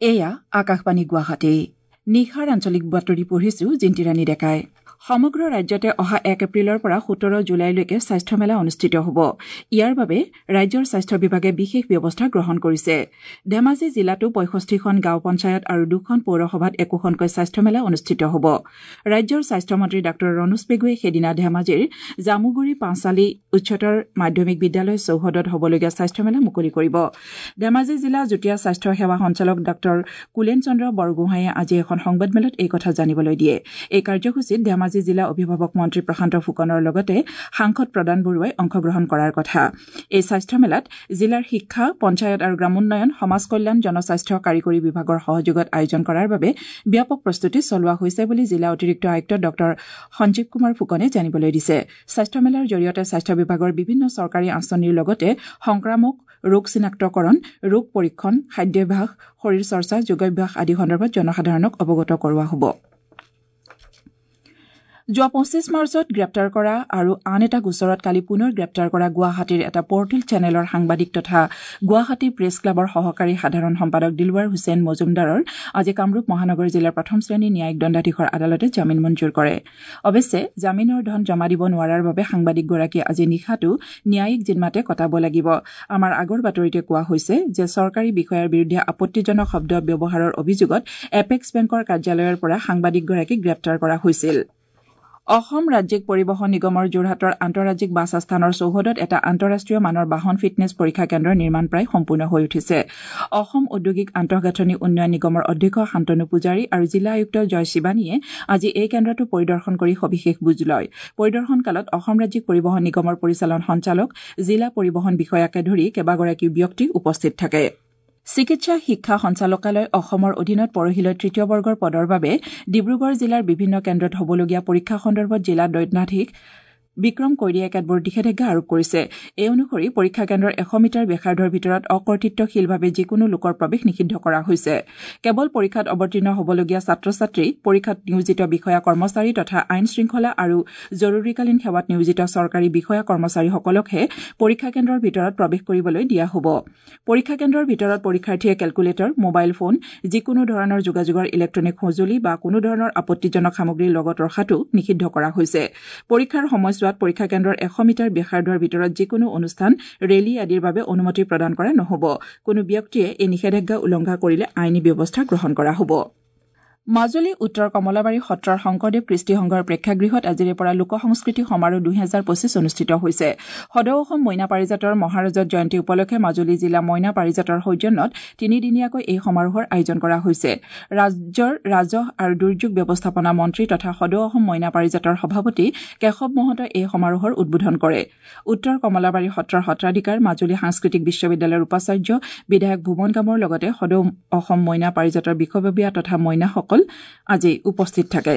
এয়া আকাশবাণী গুৱাহাটী। নিশাৰ আঞ্চলিক বাতৰি পঢ়িছো জিন্তিৰাণী ডেকাই। সমগ্ৰ ৰাজ্যতে অহা 1 এপ্ৰিলৰ পৰা 17 জুলাইলৈকে স্বাস্থ্য মেলা অনুষ্ঠিত হ'ব। ইয়াৰ বাবে ৰাজ্যৰ স্বাস্থ্য বিভাগে বিশেষ ব্যৱস্থা গ্ৰহণ কৰিছে। ধেমাজি জিলাতো 65খন গাঁও পঞ্চায়ত আৰু 2খন পৌৰসভাত একোখনকৈ স্বাস্থ্য মেলা অনুষ্ঠিত হ'ব। ৰাজ্যৰ স্বাস্থ্যমন্ত্ৰী ডাঃ ৰণোজ পেগুৱে সেইদিনা ধেমাজিৰ জামুগুৰি পাঁচালী উচ্চতৰ মাধ্যমিক বিদ্যালয় চৌহদত হ'বলগীয়া স্বাস্থ্য মেলা মুকলি কৰিব। ধেমাজি জিলা যুটীয়া স্বাস্থ্য সেৱা সঞ্চালক ডাঃ কুলেন চন্দ্ৰ বৰগোহাঁয়ে আজি এখন সংবাদমেলত এই কথা জানিবলৈ দিয়ে। এই কাৰ্যসূচীত ধেমাজি জিলা অভিভাৱক মন্ত্ৰী প্ৰশান্ত ফুকনৰ লগতে সাংসদ প্ৰদান বৰুৱাই অংশগ্ৰহণ কৰাৰ কথা। এই স্বাস্থ্য মেলাত জিলাৰ শিক্ষা, পঞ্চায়ত আৰু গ্ৰামোন্নয়ন, সমাজ কল্যাণ, জনস্বাস্থ্য কাৰিকৰী বিভাগৰ সহযোগত আয়োজন কৰাৰ বাবে ব্যাপক প্ৰস্তুতি চলোৱা হৈছে বুলি জিলা অতিৰিক্ত আয়ুক্ত ডাঃ সঞ্জীৱ কুমাৰ ফুকনে জানিবলৈ দিছে। স্বাস্থ্য মেলাৰ জৰিয়তে স্বাস্থ্য বিভাগৰ বিভিন্ন চৰকাৰী আঁচনিৰ লগতে সংক্ৰামক ৰোগ চিনাক্তকৰণ, ৰোগ পৰীক্ষণ, খাদ্যাভ্যাস, শৰীৰ চৰ্চা, যোগাভ্যাস আদি সন্দৰ্ভত জনসাধাৰণক অৱগত কৰোৱা হ'ব। যোৱা 25 মাৰ্চত গ্ৰেপ্তাৰ কৰা আৰু আন এটা গোচৰত কালি পুনৰ গ্ৰেপ্তাৰ কৰা গুৱাহাটীৰ এটা পৰ্টেল চেনেলৰ সাংবাদিক তথা গুৱাহাটী প্ৰেছ ক্লাবৰ সহকাৰী সাধাৰণ সম্পাদক দিলৱাৰ হুছেইন মজুমদাৰৰ আজি কামৰূপ মহানগৰ জিলাৰ প্ৰথম শ্ৰেণীৰ ন্যায়িক দণ্ডাধীশৰ আদালতে জামিন মঞ্জুৰ কৰে। অৱশ্যে জামিনৰ ধন জমা দিব নোৱাৰাৰ বাবে সাংবাদিকগৰাকীয়ে আজি নিশাটো ন্যায়িক জিন্মাতে কটাব লাগিব। আমাৰ আগৰ বাতৰিতে কোৱা হৈছে যে চৰকাৰী বিষয়াৰ বিৰুদ্ধে আপত্তিজনক শব্দ ব্যৱহাৰৰ অভিযোগত এপেক্স বেংকৰ কাৰ্যালয়ৰ পৰা সাংবাদিকগৰাকীক গ্ৰেপ্তাৰ কৰা হৈছিল। অসম ৰাজ্যিক পৰিবহণ নিগমৰ যোৰহাটৰ আন্তঃৰাজ্যিক বাছ আস্থানৰ চৌহদত এটা আন্তঃৰাষ্ট্ৰীয় মানৰ বাহন ফিটনেছ পৰীক্ষা কেন্দ্ৰৰ নিৰ্মাণ প্ৰায় সম্পূৰ্ণ হৈ উঠিছে। অসম ঔদ্যোগিক আন্তঃগাঁথনি উন্নয়ন নিগমৰ অধ্যক্ষ শান্তনু পূজাৰী আৰু জিলা আয়ুক্ত জয় শিৱানীয়ে আজি এই কেন্দ্ৰটো পৰিদৰ্শন কৰি সবিশেষ বুজ লয়। পৰিদৰ্শনকালত অসম ৰাজ্যিক পৰিবহণ নিগমৰ পৰিচালন সঞ্চালক, জিলা পৰিবহণ বিষয়াকে ধৰি কেইবাগৰাকীও ব্যক্তি উপস্থিত থাকে। চিকিৎসা শিক্ষা সঞ্চালকালয় অসমৰ অধীনত পৰহিলৈ তৃতীয় বৰ্গৰ পদৰ বাবে ডিব্ৰুগড় জিলাৰ বিভিন্ন কেন্দ্ৰত হ'বলগীয়া পৰীক্ষা সন্দৰ্ভত জিলা দণ্ডাধীশ বিক্ৰম কৈৰীয়ে কেতবোৰ নিষেধাজ্ঞা আৰোপ কৰিছে। এই অনুসৰি পৰীক্ষা কেন্দ্ৰৰ 100 মিটাৰ ব্যাসাৰ্ধৰ ভিতৰত অকৰ্তৃত্বশীলভাৱে যিকোনো লোকৰ প্ৰৱেশ নিষিদ্ধ কৰা হৈছে। কেৱল পৰীক্ষাত অৱতীৰ্ণ হ'বলগীয়া ছাত্ৰ ছাত্ৰী, পৰীক্ষাত নিয়োজিত বিষয়া কৰ্মচাৰী তথা আইন শৃংখলা আৰু জৰুৰীকালীন সেৱাত নিয়োজিত চৰকাৰী বিষয়া কৰ্মচাৰীসকলকহে পৰীক্ষা কেন্দ্ৰৰ ভিতৰত প্ৰৱেশ কৰিবলৈ দিয়া হ'ব। পৰীক্ষা কেন্দ্ৰৰ ভিতৰত পৰীক্ষাৰ্থীয়ে কেলকুলেটৰ, মোবাইল ফোন, যিকোনো ধৰণৰ যোগাযোগৰ ইলেক্ট্ৰনিক সঁজুলি বা কোনো ধৰণৰ আপত্তিজনক সামগ্ৰী লগত ৰখাটো নিষিদ্ধ কৰা হৈছে। পৰীক্ষাৰ সময়ছোৱাত পৰীক্ষা কেন্দ্ৰৰ 100 মিটাৰ ব্যাসাৰ্ধৰ ভিতৰত যিকোনো অনুষ্ঠান, ৰেলী আদিৰ বাবে অনুমতি প্ৰদান কৰা নহ'ব। কোনো ব্যক্তিয়ে এই নিষেধাজ্ঞা উলংঘা কৰিলে আইনী ব্যৱস্থা গ্ৰহণ কৰা হ'ব। মাজুলী উত্তৰ কমলাবাৰী সত্ৰৰ শংকৰদেৱ কৃষ্টি সংঘৰ প্ৰেক্ষাগৃহত আজিৰে পৰা লোক সংস্কৃতি সমাৰোহ 2025 অনুষ্ঠিত হৈছে। সদৌ অসম মইনা পাৰিজাতৰ মহাৰজত জয়ন্তী উপলক্ষে মাজুলী জিলা মইনা পাৰিজাতৰ সৌজন্যত তিনিদিনীয়াকৈ এই সমাৰোহৰ আয়োজন কৰা হৈছে। ৰাজ্যৰ ৰাজহ আৰু দুৰ্যোগ ব্যৱস্থাপনা মন্ত্ৰী তথা সদৌ অসম মইনা পাৰিজাতৰ সভাপতি কেশৱ মহন্তই এই সমাৰোহৰ উদ্বোধন কৰে। উত্তৰ কমলাবাৰী সত্ৰৰ সত্ৰাধিকাৰ, মাজুলী সাংস্কৃতিক বিশ্ববিদ্যালয়ৰ উপাচাৰ্য, বিধায়ক ভুৱন গামৰ লগতে সদৌ অসম মইনা পাৰিজাতৰ বিষয়ববীয়া তথা মইনাসকল আজি উপস্থিত থাকে।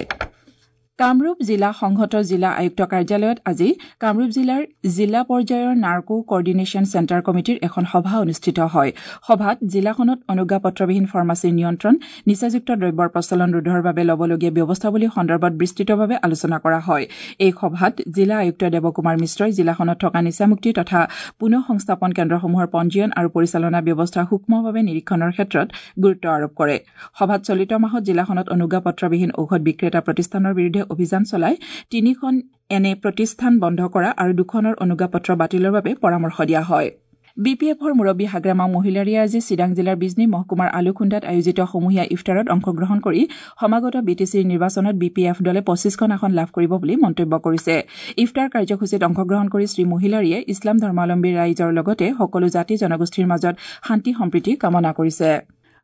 কামৰূপ জিলা সংহত জিলা আয়ুক্ত কাৰ্যালয়ত আজি কামৰূপ জিলাৰ জিলা পৰ্যায়ৰ নাৰ্কো কৰ্ডিনেশ্যন চেণ্টাৰ কমিটিৰ এখন সভা অনুষ্ঠিত হয়। সভাত জিলাখনত অনুজ্ঞাপত্ৰবিহীন ফাৰ্মাচীৰ নিয়ন্ত্ৰণ, নিচাযুক্ত দ্ৰব্যৰ প্ৰচলন ৰোধৰ বাবে ল'বলগীয়া ব্যৱস্থাৱলী সন্দৰ্ভত বিস্তৃতভাৱে আলোচনা কৰা হয়। এই সভাত জিলা আয়ুক্ত দেৱকুমাৰ মিশ্ৰই জিলাখনত থকা নিচামুক্তি তথা পুনঃ সংস্থাপন কেন্দ্ৰসমূহৰ পঞ্জীয়ন আৰু পৰিচালনা ব্যৱস্থা সূক্ষ্মভাৱে নিৰীক্ষণৰ ক্ষেত্ৰত গুৰুত্ব আৰোপ কৰে। সভাত চলিত মাহত জিলাখনত অনুজ্ঞাপত্ৰবিহীন ঔষধ বিক্ৰেতা প্ৰতিষ্ঠানৰ বিৰুদ্ধে অভিযান চলাই 3খন এনে প্ৰতিষ্ঠান বন্ধ কৰা আৰু 2খনৰ অনুজ্ঞাপত্ৰ বাতিলৰ বাবে পৰামৰ্শ দিয়া হয়। বি পি এফৰ মুৰব্বী হাগ্ৰামা মহিলাৰীয়ে আজি চিৰাং জিলাৰ বিজনী মহকুমাৰ আলুখুন্দাত আয়োজিত সমূহীয়া ইফতাৰত অংশগ্ৰহণ কৰি সমাগত বি টি চিৰ নিৰ্বাচনত বি পি এফ দলে 25খন আসন লাভ কৰিব বুলি মন্তব্য কৰিছে। ইফতাৰ কাৰ্যসূচীত অংশগ্ৰহণ কৰি শ্ৰী মহিলাৰীয়ে ইছলাম ধৰ্মাৱলম্বী ৰাইজৰ লগতে সকলো জাতি জনগোষ্ঠীৰ মাজত শান্তি সম্প্ৰীতি কামনা কৰিছে।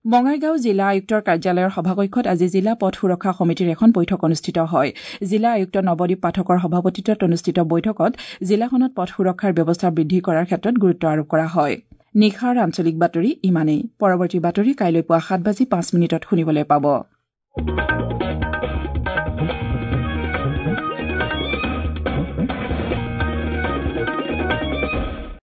বঙাইগাঁও জিলা আয়ুক্তৰ কাৰ্যালয়ৰ সভাকক্ষত আজি জিলা পথ সুৰক্ষা সমিতিৰ এখন বৈঠক অনুষ্ঠিত হয়। জিলা আয়ুক্ত নৱদ্বীপ পাঠকৰ সভাপতিত্বত অনুষ্ঠিত বৈঠকত জিলাখনত পথ সুৰক্ষাৰ ব্যৱস্থা বৃদ্ধি কৰাৰ ক্ষেত্ৰত গুৰুত্ব আৰোপ কৰা হয়। নিশাৰ আঞ্চলিক বাতৰি ইমানেই। পৰৱৰ্তী বাতৰি কাইলৈ পুৱা 7:05 শুনিবলৈ পাব।